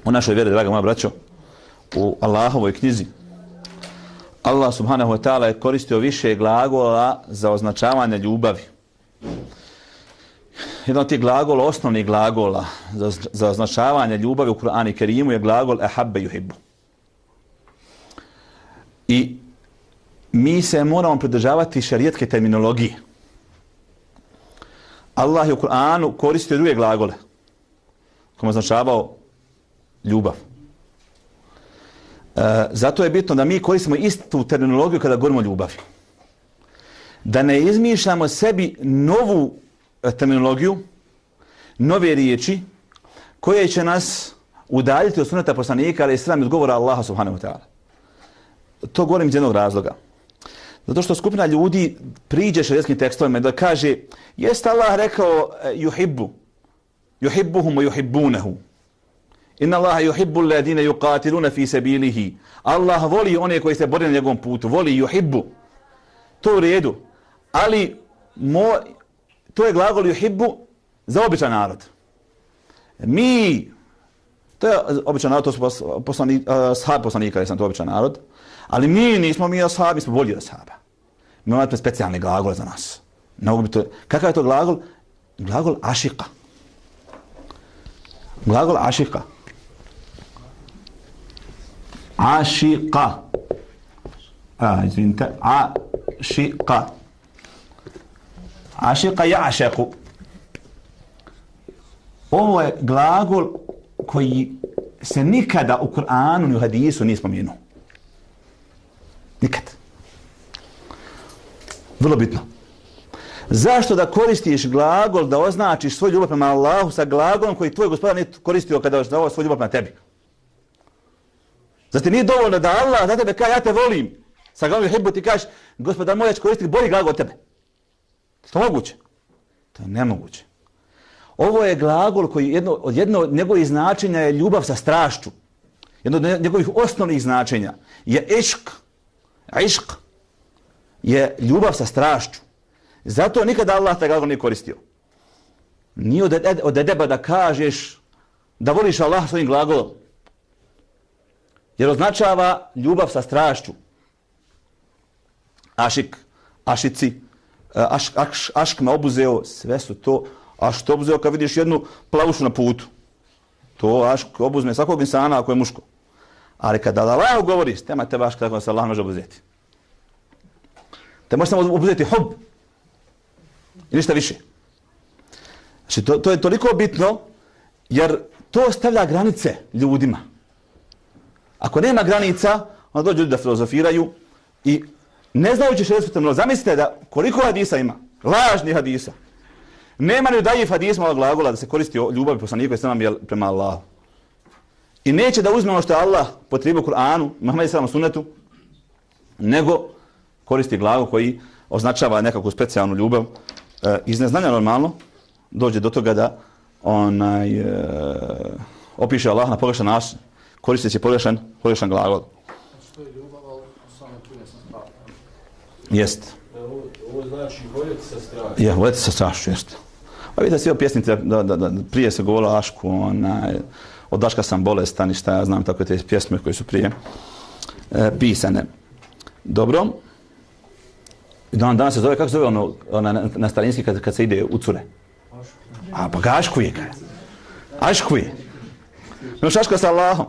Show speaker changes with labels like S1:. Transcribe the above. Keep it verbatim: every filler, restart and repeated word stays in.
S1: u našoj vjeri, draga moja braćo, u Allahovoj knjizi, Allah subhanahu wa ta'ala je koristio više glagola za označavanje ljubavi. Jedan od tih glagola, osnovnih glagola za, za označavanje ljubavi u Kur'anu i Kerimu je glagol ehabbe yuhibbu. I mi se moramo pridržavati šerijatske terminologije. Allah je u Kur'anu koristio druge glagole kojima označavao ljubav. E, zato je bitno da mi koristimo istu terminologiju kada govorimo o ljubavi. Da ne izmišljamo sebi novu terminologiju, nove riječi koje će nas udaljiti od sunneta poslanika, ali i sram od govora Allaha subhanahu wa ta'ala. To govorim iz jednog razloga. Zato što skupina ljudi priđe šerijskim tekstovima da kaže jeste Allah rekao yuhibbu, yuhibbuhum wa yuhibbunahu. Inna Allaha yuhibbu alladine yuqatiluna fi sabilihi. Allah voli one koji se bore na njegovom putu, voli yuhibbu. To u redu. Ali mo, to je glagol yuhibbu za običan narod. Mi, to je običan narod, to su poslani, uh, sahabi poslanika, jesam to običan narod, ali mi nismo mi ashabi, mi smo bolji od ashaba. Mi imamo specijalni glagol za nas. To, kakav je to glagol? Glagol ašika. Glagol ašika. Ašika. A, izvinite. Ašika. Ašika ja'šeku. Ovo je glagol koji se nikada u Kur'anu ni u hadisu nije spomenuo. Nikad. Vrlo bitno. Zašto da koristiš glagol da označiš svoj ljubav prema Allahu sa glagolom koji tvoj gospodar nije koristio kada označavao svoj ljubav prema tebi? Zato nije dovoljno da Allah za tebe kaže ja te volim. Sa glagolom yuhibbu ti kažeš gospodar moj, ja ću koristiti bolji glagol od tebe. To je moguće? To je nemoguće. Ovo je glagol koji jedno od jedno od njegovih značenja je ljubav sa strašću. Jedno od njegovih osnovnih značenja je išk. Išk je ljubav sa strašću. Zato nikada Allah taj glagol nije koristio. Nije od, ed, od edeba da kažeš da voliš Allah svojim glagolom. Jer označava ljubav sa strašću. Ašik, ašici, aš, aš, ašk me obuzeo, sve su to. A što obuzeo kad vidiš jednu plavušu na putu? To ašk obuzme svakog insana ako je muško. Ali kada Allah govori, tema te baš kako se Allah može obuzeti. Te može samo obuzeti hub. I ništa više. Znači, to, to je toliko bitno, jer to stavlja granice ljudima. Ako nema granica, onda dođu ljudi da filozofiraju i ne znajući šerijsku terminologiju. Zamislite da koliko hadisa ima, lažnih hadisa. Nema ni dajiv hadisma ovog glagola da se koristi o ljubavi poslanika i sallam prema Allahu. I neće da uzme ono što je Allah potrebio u Kur'anu, Muhammedu sallam sunnetu, nego koristi glagol koji označava nekakvu specijalnu ljubav. E, iz neznanja normalno dođe do toga da onaj, e, opiše Allah na pogrešan način, koristeći pogrešan, pogrešan glagol.
S2: Što je ljubav, ali samo tu ne sam strah.
S1: Jest.
S2: Ovo znači voljeti sa strašću.
S1: Je, voljeti sa strašću, jest. Pa vidite svi o pjesnice, da, da, da, prije se govorilo o Ašku, onaj, od Daška sam bolestan i šta ja znam, tako te pjesme koje su prije e, pisane. Dobro. Dan, danas se zove, kako se zove ono, ono na, na starinski kad, kad se ide u cure? A pa ga aškuje, kaj. Aškuje. Imaš aška sa Allahom.